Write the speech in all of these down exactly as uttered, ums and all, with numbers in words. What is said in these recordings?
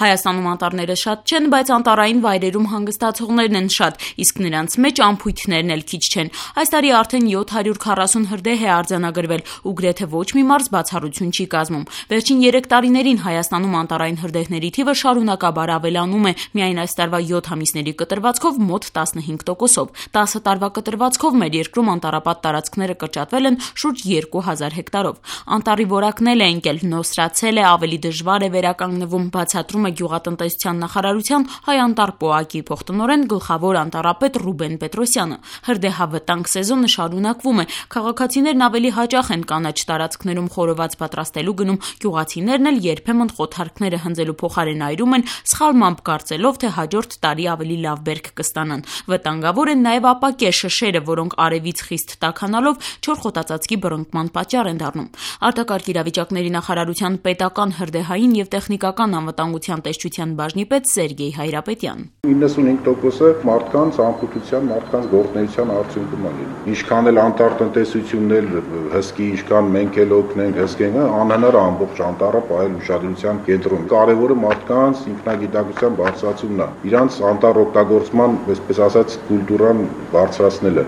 Հայաստանում անտառները շատ չեն, բայց անտառային վայրերում հանգստացողներն են շատ, իսկ նրանց մեջ անփույթներն էլ քիչ չեն։ Այս տարի արդեն յոթ հարյուր քառասուն հրդեհ է արձանագրվել ու գրեթե ոչ մի մարզ բացառություն չի կազմում։ Վերջին երեք տարիներին Հայաստանում անտառային հրդեհների թիվը շարունակաբար ավելանում է, միայն այս տարվա յոթ ամիսների կտրվածքով մոտ տասնհինգ տոկոսով։ տասը տարվա կտրվածքով մեր երկրում անտառապատ տարածքները կրճատվել են շուրջ երկու հազար հեկտարով։ Անտառի որակն էլ է ընկել, նոսրացել է, ավելի դժվար է վերականգնվում, բացատրում է Գյուղատնտեսության նախարարության հայ անտառ պոակի փոխտնօրեն գլխավոր անտառապետ Ռուբեն Պետրոսյանը։ Հրդեհավտանգ սեզոնը շարունակվում է։ Քաղաքացիներն ավելի հաճախ են կանաչ տարածքներում խորոված պատրաստելու գնում, գյուղացիներն էլ երբեմն խոթարքները հնձելու փոխարեն այրում են, սխալմամբ կարծելով, թե հաջորդ տարի ավելի լավ բերք կստանան։ Վտանգավոր են նաև ապակե շշերը, որոնք արևից խիստ տաքանալով չոր խոտածածկի բռնկման պատճառ են դառնում։ Արտակարգ իրավիճակների նախարարության պետական հրդեհային եւ տեխնիկական անվտանգության տեսչության բաժնի պետ Սերգեյ Հայրապետյան։ իննսունհինգ տոկոսը մարդկանց անխուտության, մարդկանց գործունեության արդյունքում է լինում։ Ինչքան էլ անտառ տնտեսությունն էլ հսկի, ինչքան մենք էլ օգնենք հսկենը, անհնար է ամբողջ անտառը պահել ուշադրության կենտրոնում։ Կարևորը մարդկանց ինքնագիտակցության բարձրացումն է, իրանց անտառ օգտագործման, այսպես ասած, կուլտուրան բարձրացնելը։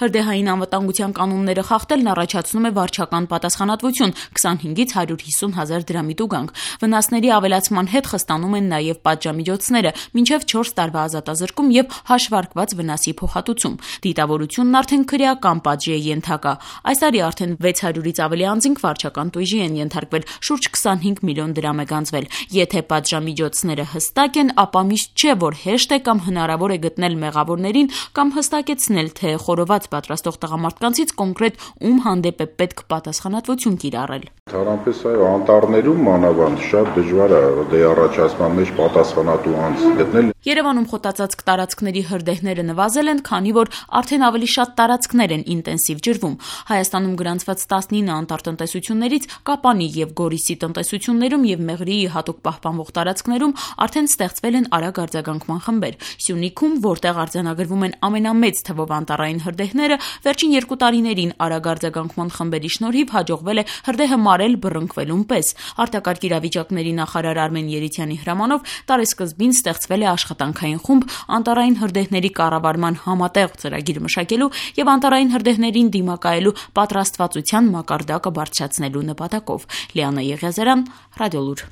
Հրդեհային անվտանգության կանոնները խախտելն առաջացնում է վարչական պատասխանատվություն քսանհինգից հարյուր հիսուն հազար դրամի տուգանք։ Վնասների ավելացման հետ խստանում են նաև պատժամիջոցները, մինչև չորս տարվա ազատազրկում եւ հաշվարկված վնասի փոխհատուցում։ Դիտավորությունն արդեն քրեական պատժի է ենթակա։ Այս տարի արդեն վեց հարյուրից ավելի անձինք վարչական տույժի են ենթարկվել, շուրջ քսանհինգ միլիոն դրամ է գանձվել։ Եթե պատժամիջոցները հստակ են, ապա միշտ չէ, որ հեշտ է կամ հնարավոր է գտնել մեղավորներին կամ հստակեցնել, թե խորոված պատրաստող տղամարդկանցից կոնկրետ ում հանդեպ է պետք պատասխանատվություն կիրառել։ Թարամպես այո, անտառներում մանավանդ շատ դժվար է դե առաջացման մեջ պատասխանատու անձ գտնել։ Երևանում խոտածածկ տարածքների հրդեհները նվազել են, քանի որ արդեն ավելի շատ տարածքներ են ինտենսիվ ջրվում։ Հայաստանում գրանցված տասնինը անտառ տնտեսություններից Կապանի եւ Գորիսի տնտեսություններում եւ Մեղրիի հատուկ պահպանվող տարածքներում արդեն ստեղծվել են արագ արձագանքման խմբեր։ Սյունիքում, որտեղ արձանագրվում են ամենամեծ թվով անտառային հրդեհները, վերջին երկու տարիներին արագ արձագանքման խմբերի շնորհիվ հաջողվել է հրդեհը մարել բռնկվելուն պես։ Արտակարգ իրավիճակների նախարար Արմեն Երիցյանի հրամանով տարեսկզբին ստեղծվել է աշխատանքային խումբ անտառային հրդեհների կառավարման համատեղ ծրագիր մշակելու եւ անտառային հրդեհներին դիմակայելու պատրաստվածության մակարդակը բարձրացնելու նպատակով։ Լիանա Եղիազարյան, Ռադիոլուր։